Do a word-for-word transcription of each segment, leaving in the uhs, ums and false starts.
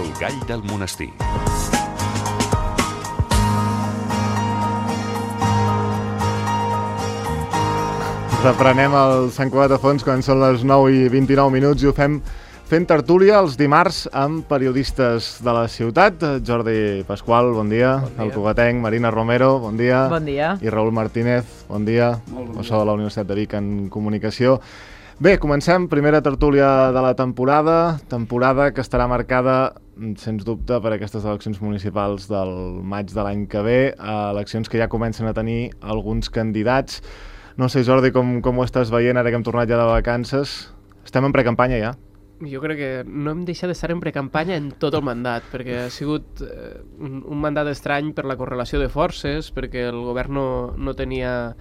El gall del monestir. Reprenem el Sant Cugat de Fons quan són les nou i vint-i-nou minuts i ho fem fent tertúlia els dimarts amb periodistes de la ciutat. Jordi Pasqual, bon dia. Bon dia. El cugatenc, Marina Romero, bon dia. Bon dia. I Raül Martínez, bon dia. Molt bon dia. De la Universitat de Vic en Comunicació. Bé, comencem. Primera tertúlia de la temporada. Temporada que estarà marcada, sens dubte, per aquestes eleccions municipals del maig de l'any que ve. Eleccions que ja comencen a tenir alguns candidats. No sé, Jordi, com, com ho estàs veient ara que hem tornat ja de vacances? Estem en precampanya ja? Jo crec que no hem deixat d'estar en precampanya en tot el mandat, perquè ha sigut eh, un, un mandat estrany per la correlació de forces, perquè el govern no, no tenia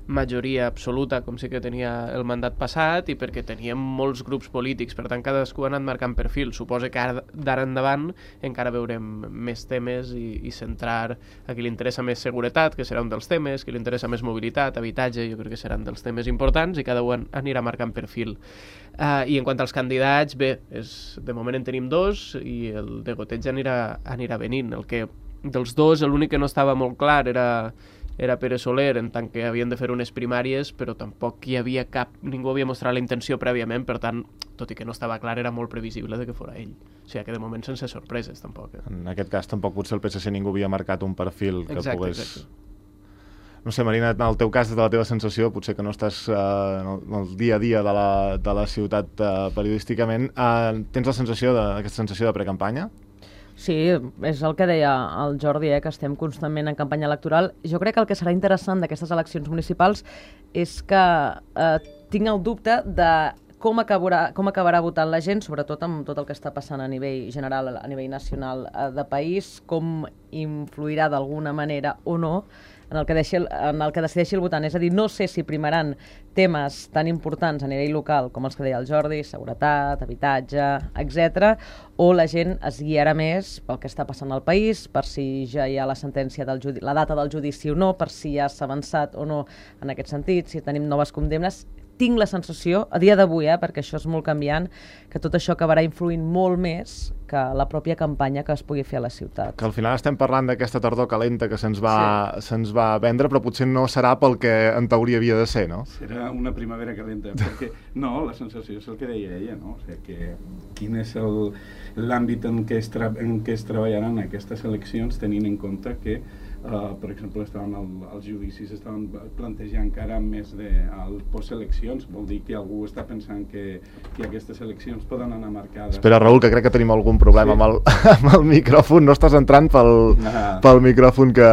majoria absoluta, com sí que tenia el mandat passat, i perquè teníem molts grups polítics, per tant cadascú ha anat marcant perfil. Suposo que ara d'ara endavant encara veurem més temes i, i centrar a qui li interessa més seguretat, que serà un dels temes, qui li interessa més mobilitat, habitatge, jo crec que seran dels temes importants i cada un anirà marcant perfil. Uh, I en quant als candidats, bé, és, de moment en tenim dos i el de goteig anirà, anirà venint. El que, dels dos, l'únic que no estava molt clar era era Pere Soler, en tant que havien de fer unes primàries, però tampoc hi havia cap... Ningú havia mostrat la intenció prèviament, per tant, tot i que no estava clar, era molt previsible de que fora ell. O sigui, que de moment sense sorpreses, tampoc. Eh? En aquest cas, tampoc potser el P S C ningú havia marcat un perfil que exacte, pogués... Exacte. No sé, Marina, en el teu cas, de la teva sensació, potser que no estàs eh, en, el, en el dia a dia de la, de la ciutat eh, periodísticament, eh, tens la sensació de, aquesta sensació de precampanya? Sí, és el que deia el Jordi, eh, que estem constantment en campanya electoral. Jo crec que el que serà interessant d'aquestes eleccions municipals és que eh, tinc el dubte de com acabarà, com acabarà votant la gent, sobretot amb tot el que està passant a nivell general, a nivell nacional eh, de país, com influirà d'alguna manera o no en el, que deixi, en el que decideixi el votant. És a dir, no sé si primaran temes tan importants a nivell local com els que deia el Jordi, seguretat, habitatge, etcètera, o la gent es guiarà més pel que està passant al país, per si ja hi ha la sentència del judici, la data del judici o no, per si ja s'ha avançat o no en aquest sentit, si tenim noves condemnes. Tinc la sensació, a dia d'avui, eh, perquè això és molt canviant, que tot això acabarà influint molt més que la pròpia campanya que es pugui fer a la ciutat. Que al final estem parlant d'aquesta tardor calenta que se'ns va, sí. se'ns va vendre, però potser no serà pel que en teoria havia de ser, no? Serà una primavera calenta, perquè no, la sensació és el que deia ella, no? O sigui, que quin és l'àmbit en, què es en què es treballaran aquestes eleccions, tenint en compte que Uh, per exemple, estaven el, els judicis estaven plantejant encara més de el posteleccions, vol dir que algú està pensant que, que aquestes eleccions poden anar marcades. Espera, Raül, que crec que tenim algun problema sí. amb, el, amb el micròfon. No estàs entrant pel, ah. pel micròfon que,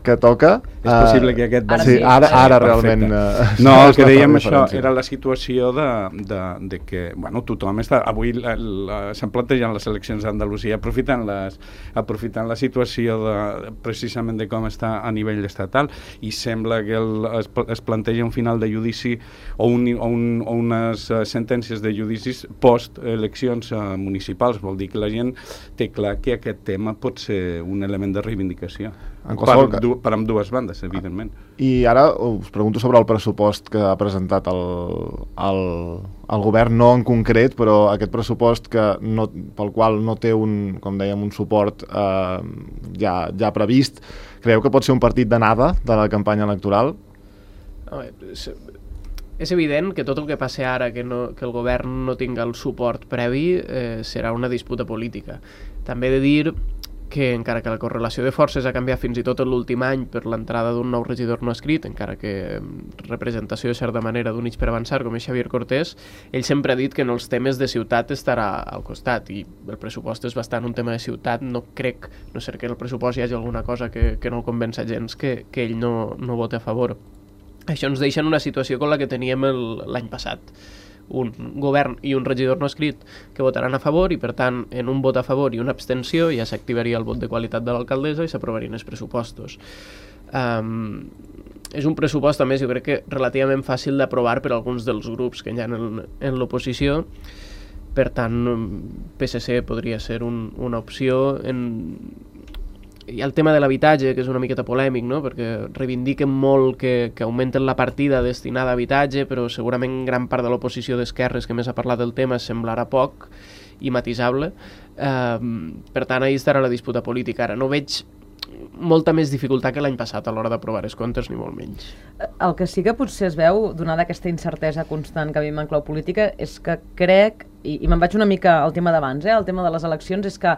que toca. És possible que aquest... Ara sí, ara, ara realment... Uh, no, el que dèiem això era la situació de, de, de que, bueno, tothom està... Avui s'han plantejat les eleccions d'Andalusia aprofitant, les, aprofitant la situació de, precisament de com està a nivell estatal, i sembla que el, es, es planteja un final de judici o, un, o, un, o unes uh, sentències de judicis post-eleccions uh, municipals. Vol dir que la gent té clar que aquest tema pot ser un element de reivindicació. Per, du, per amb dues bandes, evidentment. I ara us pregunto sobre el pressupost que ha presentat el, el, el govern, no en concret, però aquest pressupost que no, pel qual no té un, com dèiem, un suport eh, ja, ja previst. Creieu que pot ser un partit d'anada de la campanya electoral? No, és, és evident que tot el que passi ara, que, no, que el govern no tinga el suport previ, eh, serà una disputa política. També he de dir que encara que la correlació de forces ha canviat fins i tot l'últim any per l'entrada d'un nou regidor no escrit, encara que representació de certa manera d'Units per Avançar, com és Xavier Cortés, ell sempre ha dit que en els temes de ciutat estarà al costat, i el pressupost és bastant un tema de ciutat. No crec, no sé que el pressupost hi hagi alguna cosa que, que no el convença gens, que, que ell no, no voti a favor. Això ens deixa en una situació com la que teníem l'any passat. Un govern i un regidor no escrit que votaran a favor, i per tant en un vot a favor i una abstenció ja s'activaria el vot de qualitat de l'alcaldessa i s'aprovarien els pressupostos. Um, és un pressupost, a més, jo crec que relativament fàcil d'aprovar per alguns dels grups que hi ha en, en l'oposició. Per tant, P S C podria ser un, una opció. En... Hi ha el tema de l'habitatge, que és una miqueta polèmic, no? Perquè reivindiquen molt que, que augmenten la partida destinada a habitatge, però segurament gran part de l'oposició d'esquerres que més ha parlat del tema semblarà poc, i matisable. Eh, per tant, ahí estarà la disputa política. Ara no veig molta més dificultat que l'any passat a l'hora d'aprovar els comptes, ni molt menys. El que sí que potser es veu, donada aquesta incertesa constant que vivim en clau política, és que crec, i, i me'n vaig una mica al tema d'abans, eh, el tema de les eleccions, és que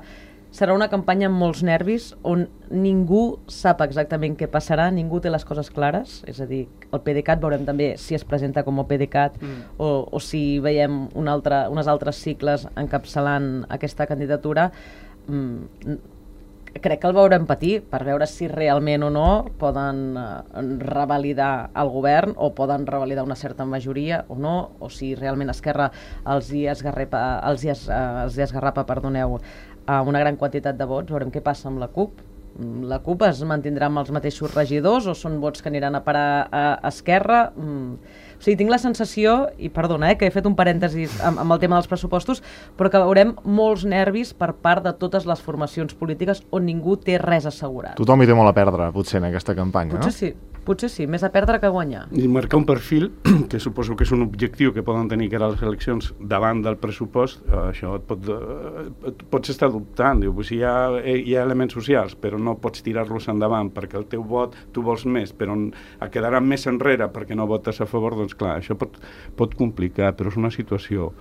serà una campanya amb molts nervis on ningú sap exactament què passarà, ningú té les coses clares, és a dir, el PDeCAT veurem també si es presenta com a PDeCAT mm. o, o si veiem un altre, unes altres cicles encapçalant aquesta candidatura. Mm, crec que el veurem patir per veure si realment o no poden eh, revalidar el govern o poden revalidar una certa majoria o no, o si realment Esquerra els hi esgarrapa, els hi es, eh, els hi esgarrapa, perdoneu, a una gran quantitat de vots. Veurem què passa amb la CUP. La CUP es mantindrà amb els mateixos regidors o són vots que aniran a parar a Esquerra? Mm. O sigui, tinc la sensació, i perdona, eh, que he fet un parèntesi amb, amb el tema dels pressupostos, però que veurem molts nervis per part de totes les formacions polítiques on ningú té res assegurat. Tothom hi té molt a perdre, potser, en aquesta campanya, potser no? Sí, potser sí, més a perdre que a guanyar. I marcar un perfil, que suposo que és un objectiu que poden tenir que ara les eleccions davant del pressupost, eh, això et, pot, eh, et pots estar dubtant, diu, pues hi, ha, hi ha elements socials, però no pots tirar-los endavant perquè el teu vot tu vols més, però et quedarà més enrere perquè no votes a favor, doncs clar, això pot, pot complicar, però és una situació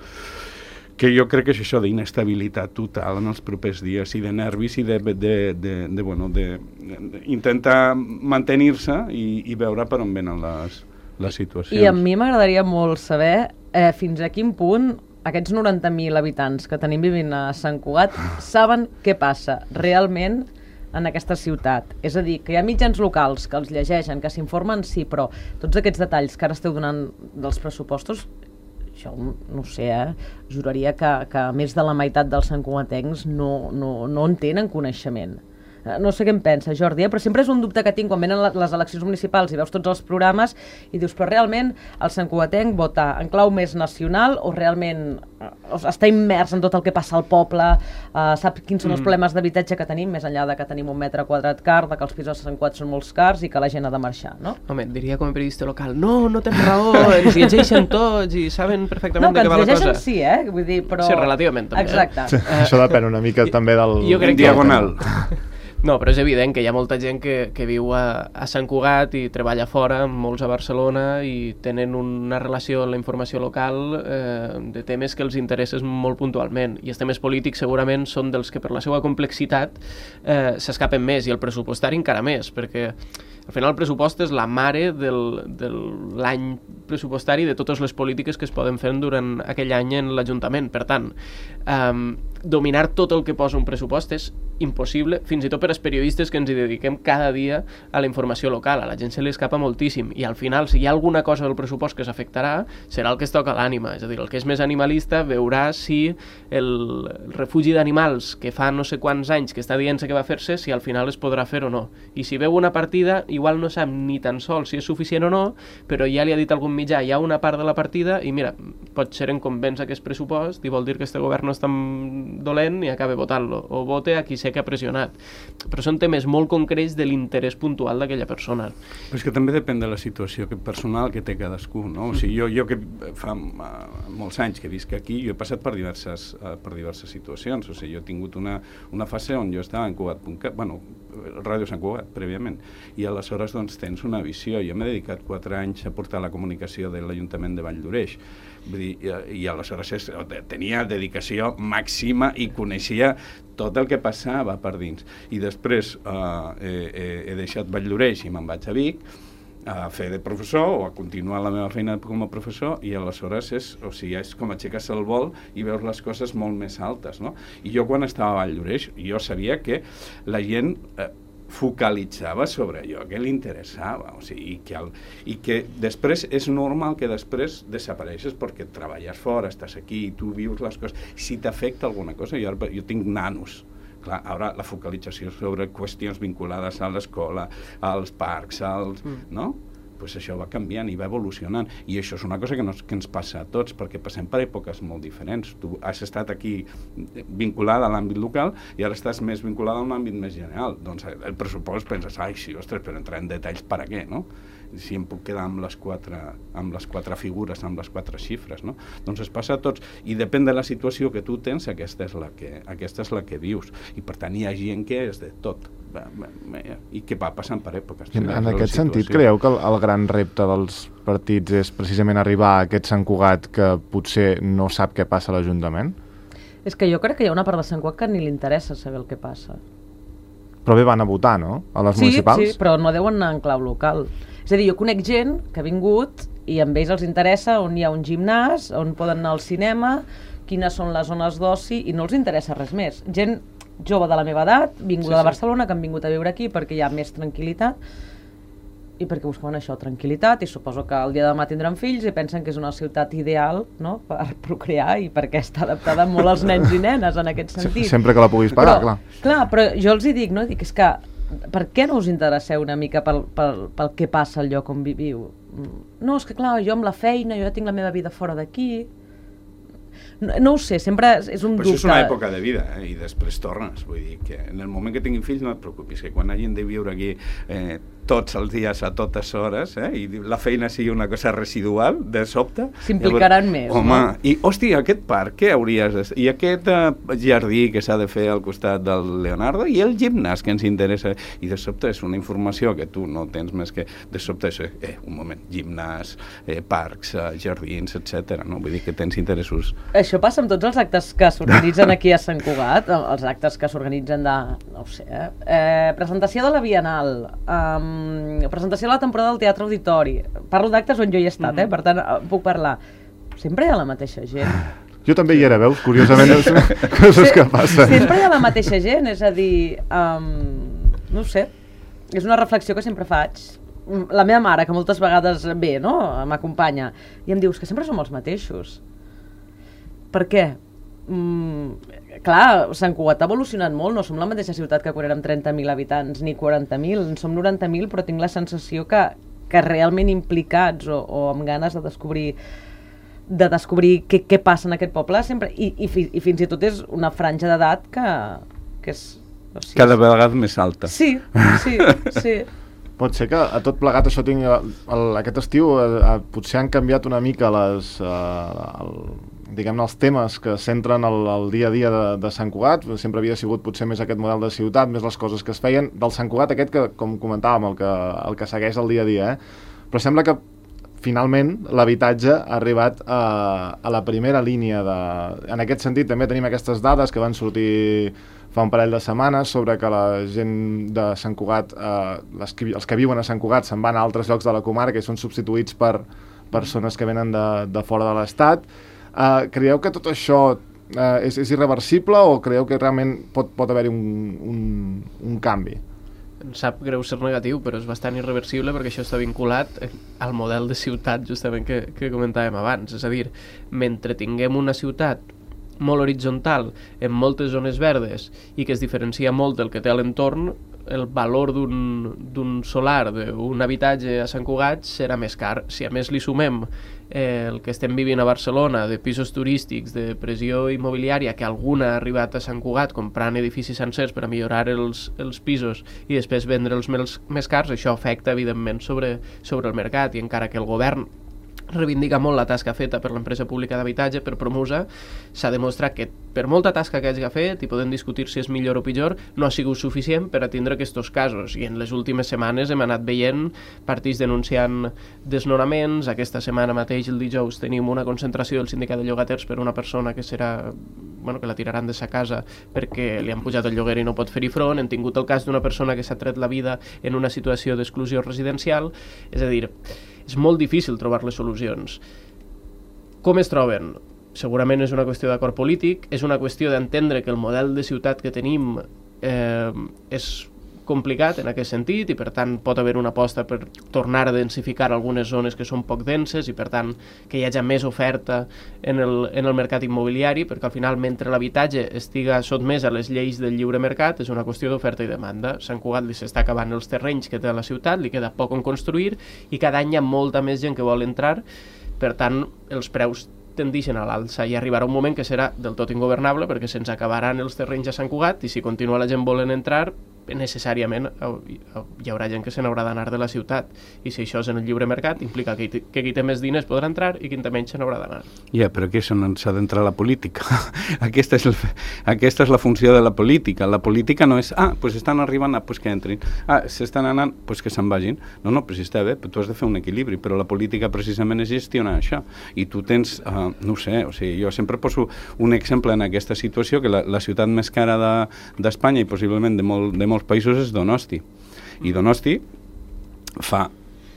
que jo crec que és això d'inestabilitat total en els propers dies i de nervis i de, de, de, de, de, bueno, de, de intentar mantenir-se i, i veure per on venen les, les situacions. I a mi m'agradaria molt saber eh, fins a quin punt aquests noranta mil habitants que tenim vivint a Sant Cugat saben què passa realment en aquesta ciutat. És a dir, que hi ha mitjans locals que els llegeixen, que s'informen, sí, però tots aquests detalls que ara esteu donant dels pressupostos, això no ho sé, eh? Juraria que, que més de la meitat dels santcugatencs no, no, no en tenen coneixement. No sé què em pensa, Jordi, eh? Però sempre és un dubte que tinc quan venen les eleccions municipals i veus tots els programes i dius, però realment el santcugatenc vota en clau més nacional o realment està immers en tot el que passa al poble, uh, sap quins són els problemes d'habitatge que tenim, més enllà de que tenim un metre quadrat car, de que els pisos de Sant Cugat són molt cars i que la gent ha de marxar, no? Home, et diria com a periodista local, no, no tens raó, ens llegeixen tots i saben perfectament no, de què va la cosa. No, que ens llegeixen sí, eh? Vull dir, però... Sí, relativament també. Exacte. Sí, uh, això depèn una mica jo, també del... Jo crec diagonal. Que... No, però és evident que hi ha molta gent que, que viu a, a Sant Cugat i treballa fora, molts a Barcelona, i tenen una relació amb la informació local eh, de temes que els interessen molt puntualment. I els temes polítics segurament són dels que per la seva complexitat eh, s'escapen més, i el pressupostari encara més, perquè al final el pressupost és la mare del, de l'any pressupostari de totes les polítiques que es poden fer durant aquell any en l'Ajuntament. Per tant, eh, dominar tot el que posa un pressupost és impossible, fins i tot per als periodistes que ens hi dediquem cada dia a la informació local. A la gent se li escapa moltíssim, i al final, si hi ha alguna cosa del pressupost que s'afectarà, serà el que es toca a l'ànima. És a dir, el que és més animalista veurà si el, el refugi d'animals que fa no sé quants anys que està dient-se que va fer-se, si al final es podrà fer o no. I si veu una partida, igual no sap ni tan sols si és suficient o no, però ja li ha dit algun mitjà, hi ha una part de la partida, i mira, pot ser en convenç aquest pressupost, i vol dir que este govern no és tan dolent, i acaba votant-lo, o vote a qui sé que ha pressionat. Però són temes molt concrets de l'interès puntual d'aquella persona. Però és que també depèn de la situació personal que té cadascú, no? O sigui, jo, jo que fa uh, molts anys que visc aquí, jo he passat per diverses, uh, per diverses situacions. O sigui, jo he tingut una, una fase on jo estava en Cugat punt cat, bueno, Ràdio Sant Cugat, prèviament, i aleshores doncs tens una visió. Jo m'he dedicat quatre anys a portar la comunicació de l'Ajuntament de Vall d'Oreix. Vull dir, i, i aleshores és, tenia dedicació màxima i coneixia tot el que passava per dins. I després uh, he, he, he deixat Vall d'Oreix i me'n vaig a Vic a fer de professor o a continuar la meva feina com a professor, i aleshores és, o sigui, és com aixecar-se el vol i veus les coses molt més altes, no? I jo quan estava a Vall d'Oreix, jo sabia que la gent eh, focalitzava sobre allò que li interessava, o sigui, i que, el, i que després és normal que després desapareixes perquè treballes fora, estàs aquí i tu vius les coses. Si t'afecta alguna cosa, jo, jo tinc nanos, clar, ara la focalització sobre qüestions vinculades a l'escola, als parcs, als, mm. no? pues això va canviant i va evolucionant, i això és una cosa que, no, que ens passa a tots, perquè passem per èpoques molt diferents. Tu has estat aquí vinculada a l'àmbit local i ara estàs més vinculada a un àmbit més general. Doncs el pressupost penses, ai, sí, ostres, però entrar en detalls per a què, no? Si em puc quedar amb les quatre, amb les quatre figures, amb les quatre xifres, no? Doncs es passa a tots, i depèn de la situació que tu tens, aquesta és la que, aquesta és la que vius, i per tant hi ha gent que és de tot, i que va passant per èpoques. En, en aquest sentit, creieu que el, el gran repte dels partits és precisament arribar a aquest Sant Cugat que potser no sap què passa a l'Ajuntament? És que jo crec que hi ha una part de Sant Cugat que ni li interessa saber el que passa. Però bé, van a votar, no? A les sí, municipals? Sí, però no deuen anar en clau local. És a dir, jo conec gent que ha vingut i amb ells els interessa on hi ha un gimnàs, on poden anar al cinema, quines són les zones d'oci, i no els interessa res més. Gent jove de la meva edat, vinguda sí, sí. de Barcelona, que han vingut a viure aquí perquè hi ha més tranquil·litat, i perquè buscaven això, tranquil·litat, i suposo que el dia de demà tindran fills i pensen que és una ciutat ideal, no?, per procrear i perquè està adaptada molt als nens i nenes en aquest sentit. Sempre que la puguis pagar, però, clar. Clar, però jo els hi dic, no?, dic, és que per què no us interesseu una mica pel, pel, pel què passa al lloc on viviu? No, és que clar, jo amb la feina, jo ja tinc la meva vida fora d'aquí. No, no ho sé, sempre és un però dubte. Això és una època de vida, eh? I després tornes. Vull dir que en el moment que tinguin fills no et preocupis, que quan hagin de viure aquí eh, tots els dies a totes hores, eh, i la feina sigui una cosa residual, de sobte... S'implicaran més, home, no? I, hòstia, aquest parc, què hauries de... I aquest eh, jardí que s'ha de fer al costat del Leonardo, i el gimnàs que ens interessa. I de sobte és una informació que tu no tens més que... De sobte és, eh, un moment, gimnàs, eh, parcs, eh, jardins, etcètera. No? Vull dir que tens interessos... Això passa amb tots els actes que s'organitzen aquí a Sant Cugat, els actes que s'organitzen de... no ho sé, eh? eh presentació de la Bienal, um, presentació de la temporada del Teatre Auditori. Parlo d'actes on jo hi he estat, eh? Per tant, puc parlar. Sempre hi ha la mateixa gent. Jo també hi era, veus? Curiosament, coses que passen. Sempre hi ha la mateixa gent, és a dir, um, no ho sé, és una reflexió que sempre faig. La meva mare, que moltes vegades ve, no?, m'acompanya, i em dius que sempre som els mateixos. Per què? Mm, clar, Sant Cugat ha evolucionat molt, no som la mateixa ciutat que quan érem trenta mil habitants ni quaranta mil, en som noranta mil, però tinc la sensació que, que realment implicats o, o amb ganes de descobrir de descobrir què, què passa en aquest poble sempre, i, i, i fins i tot és una franja d'edat que, que és... O sigui, cada vegada més alta. Sí, sí, sí. Pot ser que a tot plegat això tingui... El, aquest estiu eh, potser han canviat una mica les... Eh, el, diguem-ne, els temes que centren el, el dia a dia de, de Sant Cugat. Sempre havia sigut potser més aquest model de ciutat, més les coses que es feien del Sant Cugat aquest que, com comentàvem, el que, el que segueix el dia a dia, eh? Però sembla que finalment l'habitatge ha arribat a, a la primera línia de... En aquest sentit també tenim aquestes dades que van sortir fa un parell de setmanes sobre que la gent de Sant Cugat, eh, les que, els que viuen a Sant Cugat se'n van a altres llocs de la comarca i són substituïts per persones que venen de, de fora de l'Estat. Uh, creieu que tot això uh, és, és irreversible o creieu que realment pot, pot haver-hi un, un, un canvi? Em sap greu ser negatiu, però és bastant irreversible perquè això està vinculat al model de ciutat justament que, que comentàvem abans. És a dir, mentre tinguem una ciutat molt horitzontal, en moltes zones verdes i que es diferencia molt del que té a l'entorn, el valor d'un solar, d'un habitatge a Sant Cugat serà més car. Si a més li sumem eh, el que estem vivint a Barcelona, de pisos turístics, de pressió immobiliària, que alguna ha arribat a Sant Cugat comprant edificis sencers per a millorar els, els pisos i després vendre'ls més, més cars, això afecta evidentment sobre, sobre el mercat, i encara que el govern reivindica molt la tasca feta per l'empresa pública d'habitatge, per Promusa, s'ha demostrat que per molta tasca que hagi fet, i podem discutir si és millor o pitjor, no ha sigut suficient per atendre aquests casos, i en les últimes setmanes hem anat veient partits denunciant desnonaments. Aquesta setmana mateix, el dijous, tenim una concentració del sindicat de llogaters per una persona que serà, bueno, que la tiraran de sa casa perquè li han pujat el lloguer i no pot fer-hi front. Hem tingut el cas d'una persona que s'ha tret la vida en una situació d'exclusió residencial. És a dir, és molt difícil trobar les solucions. Com es troben? Segurament és una qüestió d'acord polític, és una qüestió d'entendre que el model de ciutat que tenim eh, és complicat en aquest sentit i per tant pot haver una aposta per tornar a densificar algunes zones que són poc denses i per tant que hi hagi més oferta en el, en el mercat immobiliari, perquè al final mentre l'habitatge estiga sotmès a les lleis del lliure mercat és una qüestió d'oferta i demanda. Sant Cugat li s'està acabant els terrenys que té a la ciutat, li queda poc on construir i cada any hi ha molta més gent que vol entrar, per tant els preus tendixen a l'alça i arribarà un moment que serà del tot ingovernable perquè se'ns acabaran els terrenys a Sant Cugat i si continua la gent volent entrar necessàriament hi haurà gent que se n'haurà d'anar de la ciutat i si això és en el lliure mercat implica que, que qui té més diners podrà entrar i qui té menys se n'haurà d'anar. Ja, yeah, però aquí s'ha d'entrar la política. aquesta, és el, aquesta és la funció de la política. La política no és, ah, doncs pues estan arribant, ah, pues que entrin. Ah, s'estan anant, doncs pues que se'n vagin. No, no, però si està bé, però tu has de fer un equilibri, però la política precisament és gestionar això. I tu tens, uh, no ho sé, o sigui, jo sempre poso un exemple en aquesta situació, que la, la ciutat més cara d'Espanya de, i possiblement de, molt, de molts països és Donosti. I Donosti fa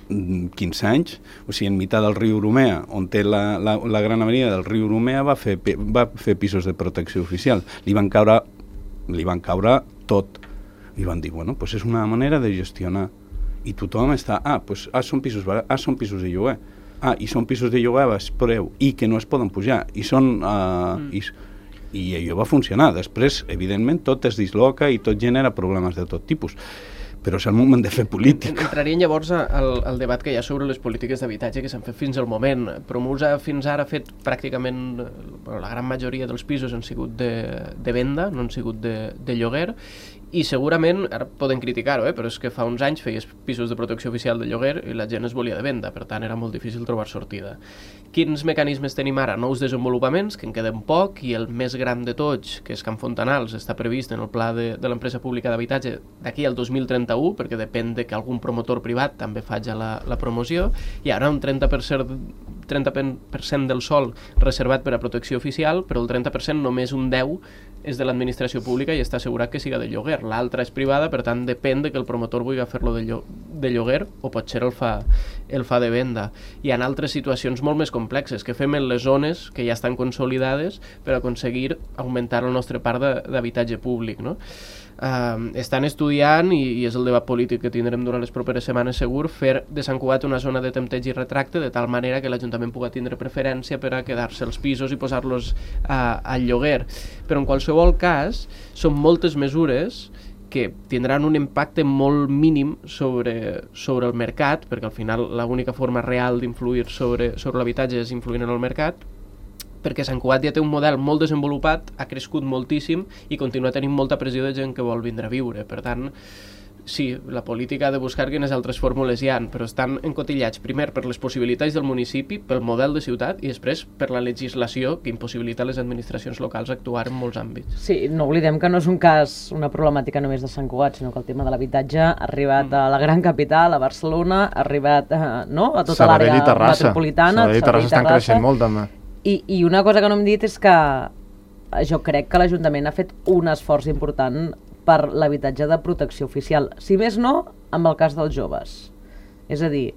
quinze anys, o sigui, en mitjà del riu Urumea, on té la, la, la gran avenida del riu Urumea, va fer, va fer pisos de protecció oficial. Li van caure, li van caure tot. I van dir, bueno, pues és una manera de gestionar. I tothom està, ah, pues, ah, són pisos barats, ah, són pisos de lloguer. Ah, i són pisos de lloguer a baix preu, i que no es poden pujar. I són... Uh, mm. i, i allò va funcionar. Després, evidentment, tot es disloca i tot genera problemes de tot tipus. Però és el moment de fer política. Entrarien llavors al, al debat que hi ha sobre les polítiques d'habitatge que s'han fet fins al moment. Promusa fins ara ha fet pràcticament, bueno, la gran majoria dels pisos han sigut de, de venda, no han sigut de, de lloguer, i segurament, ara poden criticar-ho, eh, però és que fa uns anys feies pisos de protecció oficial de lloguer i la gent es volia de venda, per tant era molt difícil trobar sortida. Quins mecanismes tenim ara? Nous desenvolupaments, que en queden poc, i el més gran de tots, que és Can Fontanals, està previst en el pla de, de l'empresa pública d'habitatge d'aquí al dos mil trenta-u, perquè depèn de que algun promotor privat també faci la, la promoció, i ara un trenta per cent, trenta per cent del sòl reservat per a protecció oficial, però el trenta per cent només un deu per cent és de l'administració pública i està assegurat que siga de lloguer. L'altra és privada, per tant depèn de que el promotor vulgui fer-lo de, llo de lloguer o potser el fa, el fa de venda. Hi ha altres situacions molt més complexes que fem en les zones que ja estan consolidades per aconseguir augmentar el nostre parc d'habitatge públic, no? Uh, estan estudiant, i, i és el debat polític que tindrem durant les properes setmanes segur, fer de Sant Cugat una zona de tempteig i retracte de tal manera que l'Ajuntament pugui tindre preferència per a quedar-se els pisos i posar-los uh, al lloguer. Però en qualsevol cas són moltes mesures que tindran un impacte molt mínim sobre, sobre el mercat, perquè al final l'única forma real d'influir sobre, sobre l'habitatge és influint en el mercat, perquè Sant Cugat ja té un model molt desenvolupat, ha crescut moltíssim i continua tenint molta pressió de gent que vol vindre a viure. Per tant, sí, la política ha de buscar quines altres fórmules hi ha, però estan encotillats primer per les possibilitats del municipi, pel model de ciutat, i després per la legislació que impossibilita a les administracions locals actuar en molts àmbits. Sí, no oblidem que no és un cas, una problemàtica només de Sant Cugat, sinó que el tema de l'habitatge ha arribat mm. a la gran capital, a Barcelona, ha arribat eh, no? a tota l'àrea metropolitana. Sabadell i Terrassa estan creixent molt, també. I, I una cosa que no hem dit és que jo crec que l'Ajuntament ha fet un esforç important per l'habitatge de protecció oficial. Si més no, amb el cas dels joves. És a dir,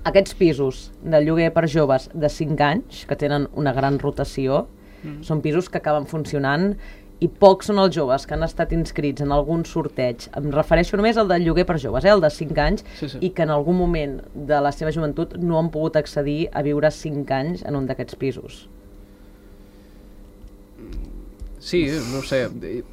aquests pisos de lloguer per joves de cinc anys, que tenen una gran rotació, mm. són pisos que acaben funcionant i pocs són els joves que han estat inscrits en algun sorteig. Em refereixo només al del lloguer per joves, eh, el de cinc anys, sí, sí. i que en algun moment de la seva joventut no han pogut accedir a viure cinc anys en un d'aquests pisos. Sí, no sé.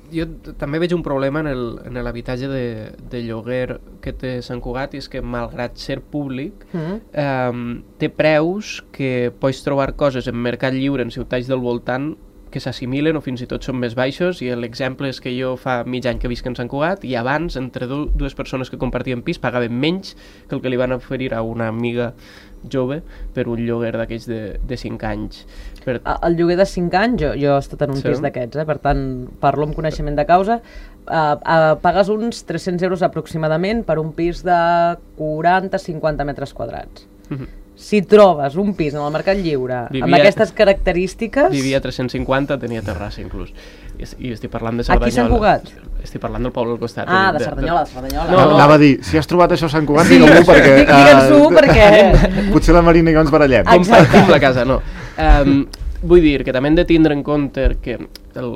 Jo també veig un problema en l'habitatge de, de lloguer que té Sant Cugat, i és que, malgrat ser públic, mm. eh, té preus que pots trobar coses en mercat lliure en ciutats del voltant que s'assimilen o fins i tot són més baixos, i l'exemple és que jo fa mig any que visc en Sant Cugat i abans, entre dues persones que compartien pis, pagaven menys que el que li van oferir a una amiga jove per un lloguer d'aquells de, de cinc anys. Per... El lloguer de cinc anys, jo, jo he estat en un sí. pis d'aquests, eh? Per tant, parlo amb coneixement de causa, uh, uh, pagues uns tres-cents euros aproximadament per un pis de quaranta a cinquanta metres quadrats. Mm-hmm. Si trobes un pis en el mercat lliure vivia, amb aquestes característiques... Vivia a tres-cents cinquanta, tenia terrassa inclús. I, i estic parlant de Cerdanyola. Aquí Sant Cugat? Estic parlant del poble al costat. Ah, de, de Cerdanyola, de Cerdanyola. No, no. Anava a dir, si has trobat això a Sant Cugat, sí, digue-m'ho perquè... Digue'ns-ho uh, perquè... Potser la Marina i jo ens barallem. Compartim la casa, no. Um, vull dir que també hem de tindre en compte que el...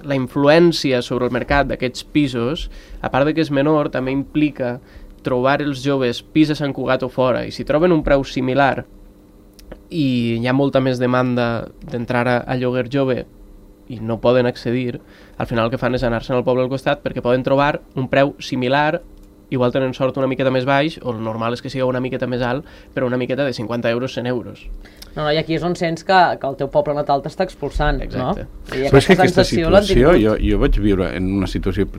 la influència sobre el mercat d'aquests pisos, a part de que és menor, també implica trobar els joves pis a Sant Cugat o fora, i si troben un preu similar i hi ha molta més demanda d'entrar a, a lloguer jove i no poden accedir, al final el que fan és anar-se'n al poble al costat perquè poden trobar un preu similar, igual tenen sort una miqueta més baix, o el normal és que sigui una miqueta més alt, però una miqueta de cinquanta euros, cent euros. No, no, i aquí és on sents que, que el teu poble natal t'està expulsant, exacte. No? I aquesta, és que aquesta situació, jo, jo vaig viure en una situació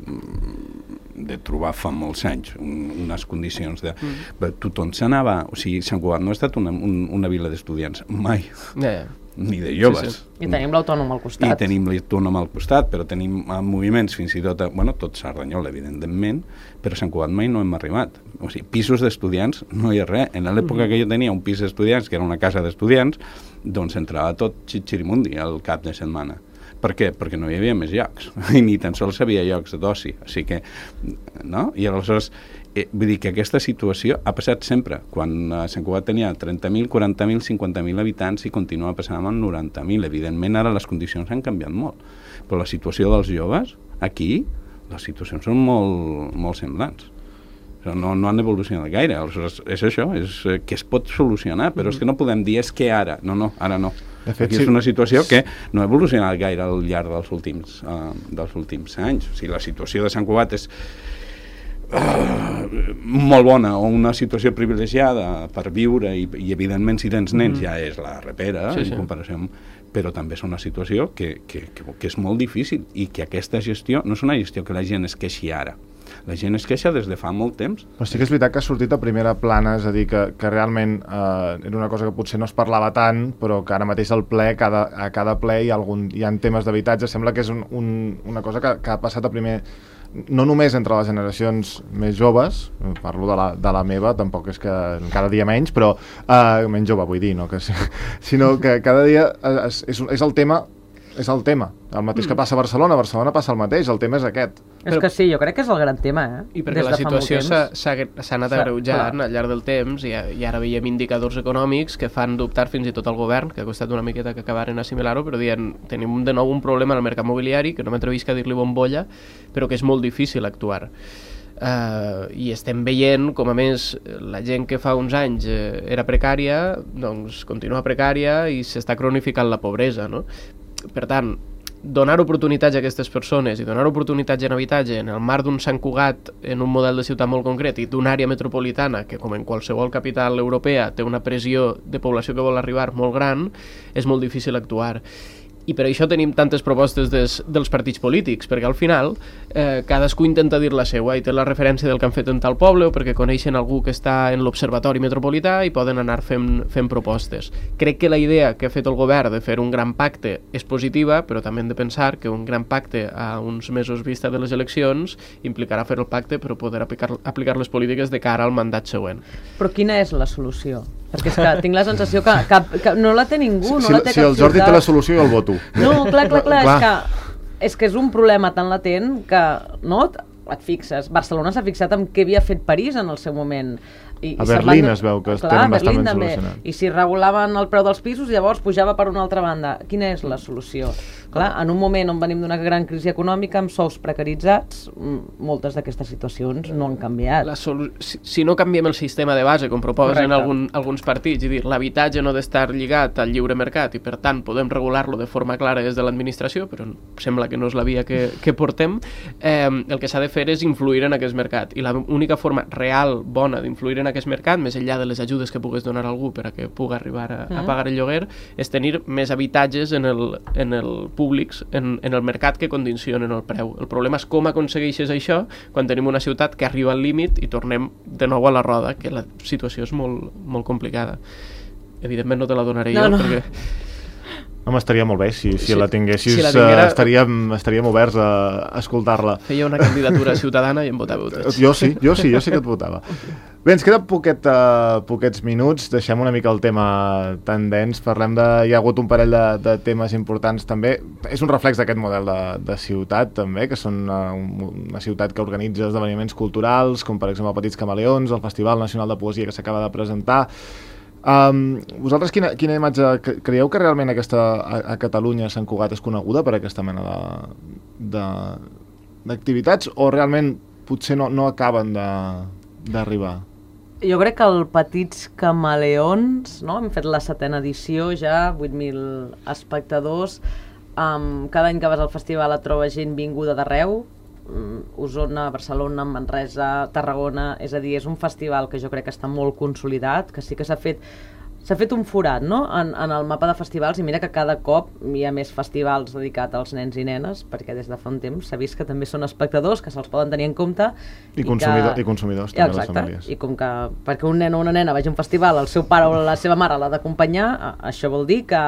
de trobar fa molts anys un, unes condicions de... Mm. Tothom s'anava... O sigui, Sant Cugat no ha estat una, un, una vila d'estudiants, mai. Yeah. Ni de joves. Sí, sí. I tenim l'autònom al costat. I tenim l'autònom al costat, però tenim moviments fins i tot... A, bueno, tot Cerdanyola, evidentment, però a Sant Cugat mai no hem arribat. O sigui, pisos d'estudiants no hi ha res. En l'època mm. que jo tenia un pis d'estudiants, que era una casa d'estudiants, doncs entrava tot xitxirimundi al cap de setmana. Per què? Perquè no hi havia més llocs, i ni tan sols hi havia llocs d'oci. O sigui que, no? I aleshores, eh, vull dir que aquesta situació ha passat sempre. Quan a Sant Cugat tenia trenta mil, quaranta mil, cinquanta mil habitants i continua passant amb noranta mil. Evidentment, ara les condicions han canviat molt. Però la situació dels joves, aquí, les situacions són molt, molt semblants. No, no han evolucionat gaire. Aleshores, és això, és que es pot solucionar, però mm. és que no podem dir és que ara, no, no, ara no. De fet, aquí sí. És una situació que no ha evolucionat gaire al llarg dels últims, uh, dels últims anys. O sigui, la situació de Sant Cugat és uh, molt bona, o una situació privilegiada per viure, i, i evidentment si tens nens mm. ja és la repera, sí, en sí. comparació amb... però també és una situació que, que, que, que és molt difícil, i que aquesta gestió no és una gestió que la gent es queixi ara. La gent es queixa des de fa molt temps. Però sí que és veritat que ha sortit a primera plana, és a dir, que, que realment eh, era una cosa que potser no es parlava tant, però que ara mateix al ple, cada, a cada ple hi ha, algun, hi ha temes d'habitatge. Sembla que és un, un, una cosa que, que ha passat a primer, no només entre les generacions més joves, parlo de la, de la meva, tampoc és que cada dia menys, però eh, menys jove vull dir, no? Que, sinó que cada dia és, és, és el tema és el tema, el mateix que passa a Barcelona. A Barcelona passa el mateix, el tema és aquest. És que sí, jo crec que és el gran tema, eh? I perquè la situació s'ha anat agreujant al llarg del temps, i, i ara veiem indicadors econòmics que fan dubtar fins i tot al govern, que ha costat una miqueta que acabaren assimilar-ho, però dient, tenim de nou un problema en el mercat mobiliari, que no m'atrevisc a dir-li bombolla, però que és molt difícil actuar. Uh, i estem veient com, a més, la gent que fa uns anys eh, era precària, doncs continua precària i s'està cronificant la pobresa, no? Per tant, donar oportunitats a aquestes persones i donar oportunitats en habitatge en el marc d'un Sant Cugat en un model de ciutat molt concret i d'una àrea metropolitana que, com en qualsevol capital europea, té una pressió de població que vol arribar molt gran, és molt difícil actuar. I per això tenim tantes propostes des, dels partits polítics, perquè al final eh, cadascú intenta dir la seva i té la referència del que han fet en tal poble, o perquè coneixen algú que està en l'observatori metropolità i poden anar fent, fent propostes. Crec que la idea que ha fet el govern de fer un gran pacte és positiva, però també hem de pensar que un gran pacte a uns mesos vista de les eleccions implicarà fer el pacte per poder aplicar, aplicar les polítiques de cara al mandat següent. Però quina és la solució? Perquè és que tinc la sensació que, que, que no la té ningú, no si, la té si cap el Jordi ciutat. té la solució, jo el voto. No, clar, clar, clar, és que, és que és un problema tan latent que, no, et fixes. Barcelona s'ha fixat en què havia fet París en el seu moment. I, a i Berlín van... es veu que es clar, tenen bastant ben també. solucionat. I si regulaven el preu dels pisos, llavors pujava per una altra banda. Quina és la solució? Clar, en un moment on venim d'una gran crisi econòmica, amb sous precaritzats, moltes d'aquestes situacions no han canviat. La solu... si, si no canviem el sistema de base, com proposen algun, alguns partits, i dir l'habitatge no ha d'estar lligat al lliure mercat i per tant podem regular-lo de forma clara des de l'administració, però sembla que no és la via que, que portem, eh, el que s'ha de fer és influir en aquest mercat. I l'única forma real, bona, d'influir en aquest mercat, més enllà de les ajudes que pugues donar a algú per a que pugui arribar a, a pagar el lloguer, és tenir més habitatges en el, en el públics, en, en el mercat, que condicionen el preu. El problema és com aconsegueixes això quan tenim una ciutat que arriba al límit i tornem de nou a la roda, que la situació és molt, molt complicada. Evidentment no te la donaré no, jo, no. perquè... Home, estaria molt bé, si, si sí, la tinguessis, si la tinguera... estaríem, estaríem oberts a escoltar-la. Feia una candidatura ciutadana i em votàveu tots. Jo sí, jo sí, jo sí que et votava. Bé, ens queden poquet, uh, poquets minuts, deixem una mica el tema tan dens, parlem de... Hi ha hagut un parell de, de temes importants també, és un reflex d'aquest model de, de ciutat també, que són uh, una ciutat que organitza esdeveniments culturals, com per exemple Petits Camaleons, el Festival Nacional de Poesia que s'acaba de presentar. Um, vosaltres quina, quina imatge creieu que realment aquesta, a, a Catalunya Sant Cugat és coneguda per aquesta mena de d'activitats o realment potser no, no acaben d'arribar? Jo crec que el Petits Camaleons, no? Hem fet la setena edició ja, vuit mil espectadors, um, cada any que vas al festival et trobes gent vinguda d'arreu, Osona, Barcelona, Manresa, Tarragona, és a dir, és un festival que jo crec que està molt consolidat, que sí que s'ha fet s'ha fet un forat, no?, en, en el mapa de festivals, i mira que cada cop hi ha més festivals dedicats als nens i nenes, perquè des de fa un temps s'ha vist que també són espectadors, que se'ls poden tenir en compte. I, i, consumidor, que... i consumidors, també, exacte, les famílies. I com que perquè un nen o una nena vagi a un festival, el seu pare o la seva mare l'ha d'acompanyar, això vol dir que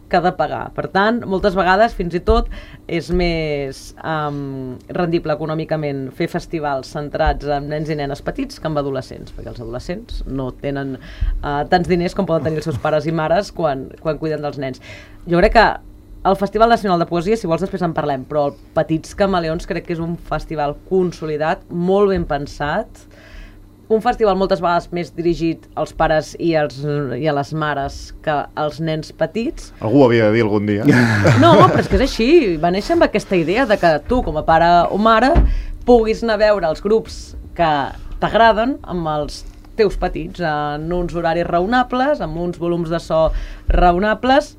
que ha de pagar. Per tant, moltes vegades, fins i tot, és més um, rendible econòmicament fer festivals centrats en nens i nenes petits que en adolescents, perquè els adolescents no tenen uh, tants diners com poden tenir els seus pares i mares quan, quan cuiden dels nens. Jo crec que el Festival Nacional de Poesia, si vols després en parlem, però el Petits Camaleons crec que és un festival consolidat, molt ben pensat, un festival moltes vegades més dirigit als pares i, als, i a les mares que als nens petits. Algú ho havia de dir algun dia. No, però és que és així. Va néixer amb aquesta idea de que tu, com a pare o mare, puguis anar a veure els grups que t'agraden amb els teus petits, en uns horaris raonables, amb uns volums de so raonables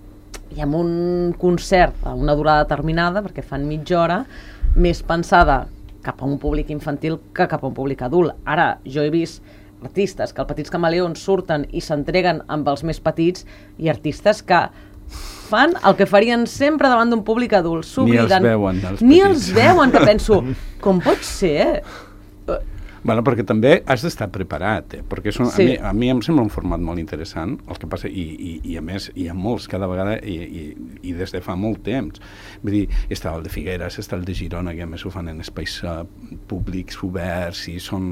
i amb un concert a una durada determinada, perquè fan mitja hora, més pensada cap a un públic infantil que cap a un públic adult. Ara, jo he vist artistes que al Petits Camaleons surten i s'entreguen amb els més petits i artistes que fan el que farien sempre davant d'un públic adult. Ni els veuen, els Ni els veuen, que penso, com pot ser? Bueno, perquè també has d'estar preparat, eh? Perquè són, sí. a, mi, a mi em sembla un format molt interessant, el que passa, i, i, i a més hi ha molts cada vegada, i, i, i des de fa molt temps. Vull dir, està el de Figueres, està el de Girona, que a més ho fan en espais uh, públics, oberts, i, són,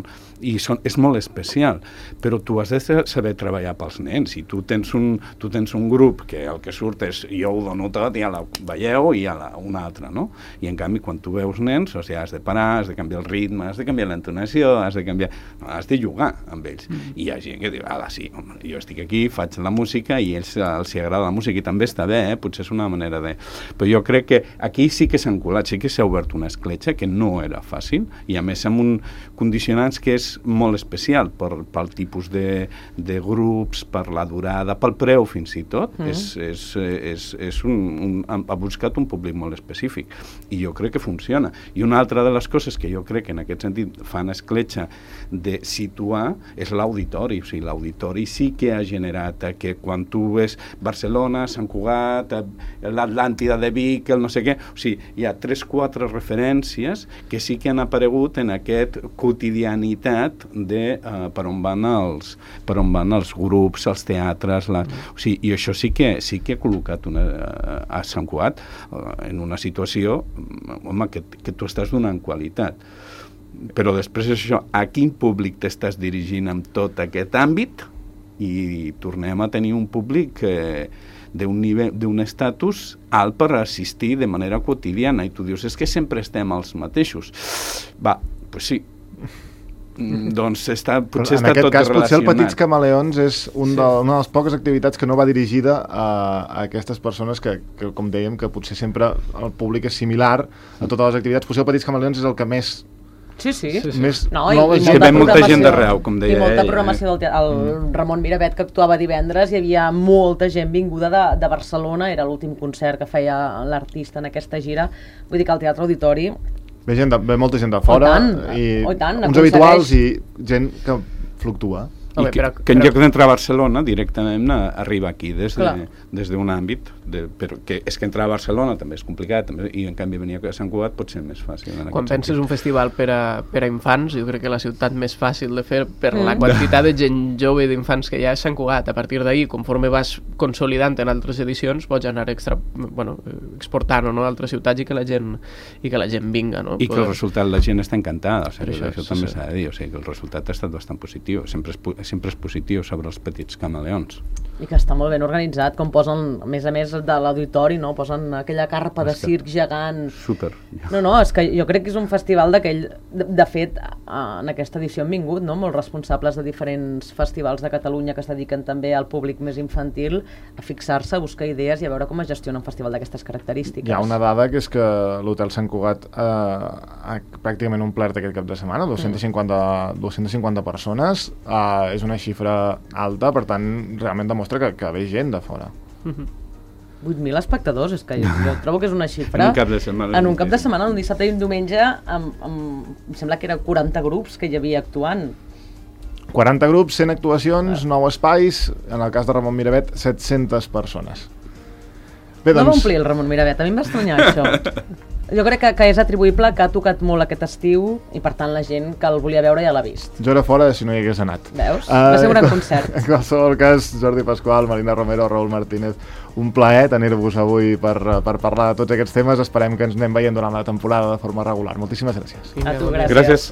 i són, és molt especial, però tu has de saber treballar pels nens, i tu tens un, tu tens un grup que el que surt és jo ho dono tot, i a la veieu, i a la, una altra, no? I en canvi, quan tu veus nens, o sigui, has de parar, has de canviar el ritme, has de canviar l'entonació, has de canviar, no, has de jugar amb ells. Mm. I hi ha gent que diu, ala, sí, home, jo estic aquí, faig la música i a ells els agrada la música i també està bé, eh? Potser és una manera de... Però jo crec que aquí sí que s'han colat, sí que s'ha obert una escletxa que no era fàcil i a més amb un condicionants que és molt especial per, pel tipus de, de grups, per la durada, pel preu fins i tot. Mm. És, és, és, és un, un, ha buscat un públic molt específic i jo crec que funciona. I una altra de les coses que jo crec que en aquest sentit fan escletxa de situar és l'auditori, o sigui, l'auditori sí que ha generat que quan tu ves Barcelona, Sant Cugat, l'Atlàntida de Vic, el no sé què, o sigui, hi ha tres, quatre referències que sí que han aparegut en aquest quotidianitat de uh, per on van els per on van els grups, els teatres, la, o sigui, i això sí que sí que ha col·locat una, a Sant Cugat uh, en una situació, home, que, que tu estàs donant qualitat. Però després és això, a quin públic t'estàs dirigint amb tot aquest àmbit i tornem a tenir un públic eh, d'un nivell, d'un estatus alt per assistir de manera quotidiana i tu dius, és que sempre estem els mateixos. Va, doncs sí. Doncs està, potser està tot relacionat. En aquest cas, potser el Petits Camaleons és un sí. de, una de les poques activitats que no va dirigida a, a aquestes persones que, que, com dèiem, que potser sempre el públic és similar a totes les activitats. Potser el Petits Camaleons és el que més... Sí, sí. sí, sí. Més no, i, i gent, molta gent d'arreu, com deia. I molta programació del teatre. El mm. Ramon Miravet, que actuava divendres, hi havia molta gent vinguda de, de Barcelona, era l'últim concert que feia l'artista en aquesta gira. Vull dir que al Teatre Auditori... Ve, gent de, ve molta gent de fora, tant, i tant, uns habituals i gent que fluctua. I que, que en lloc d'entrar a Barcelona directament arriba aquí des d'un de, d'un àmbit de, però que és que entrar a Barcelona també és complicat també, i en canvi venir a Sant Cugat pot ser més fàcil. Quan penses sentit. Un festival per a, per a infants, jo crec que la ciutat més fàcil de fer per mm. la quantitat de gent jove d'infants que hi ha és Sant Cugat. A partir d'ahir, conforme vas consolidant en altres edicions, pots anar extra, bueno, exportant no, a altres ciutats i que la gent i que la gent vinga. No? I que el resultat, la gent està encantada, o sigui, això, això també s'ha de dir, o sigui, que el resultat ha estat bastant positiu, sempre és, sempre és positiu sobre els Petits Camaleons. I que està molt ben organitzat, com posen, a més a més de l'auditori, no? Posen aquella carpa de circ gegant. Super. No, no, és que jo crec que és un festival d'aquell... De, de fet, en aquesta edició han vingut, no?, molts responsables de diferents festivals de Catalunya que es dediquen també al públic més infantil a fixar-se, a buscar idees i a veure com es gestiona un festival d'aquestes característiques. Hi ha una dada que és que l'Hotel Sant Cugat eh, ha pràcticament omplert aquest cap de setmana, dos-cents cinquanta, mm. dos-cents cinquanta persones, eh, és una xifra alta, per tant, realment demostra que, que ve gent de fora. Mm-hmm. vuit mil espectadors, és que jo, jo trobo que és una xifra... En un cap de setmana. En un cap de setmana, un dissabte i un diumenge, amb, amb, em sembla que eren quaranta grups que hi havia actuant. quaranta grups, cent actuacions, nou espais, en el cas de Ramon Miravet, set-centes persones. Bé, doncs... No va omplir el Ramon Miravet, a mi em va estranyar això. Jo crec que, que és atribuïble que ha tocat molt aquest estiu i per tant la gent que el volia veure ja l'ha vist. Jo era fora si no hi hagués anat. Veus? Uh, va ser un gran concert. En qualsevol cas, Jordi Pasqual, Marina Romero, Raül Martínez, un plaer tenir-vos avui per, per parlar de tots aquests temes. Esperem que ens anem veient durant la temporada de forma regular. Moltíssimes gràcies. A tu, gràcies. Gràcies.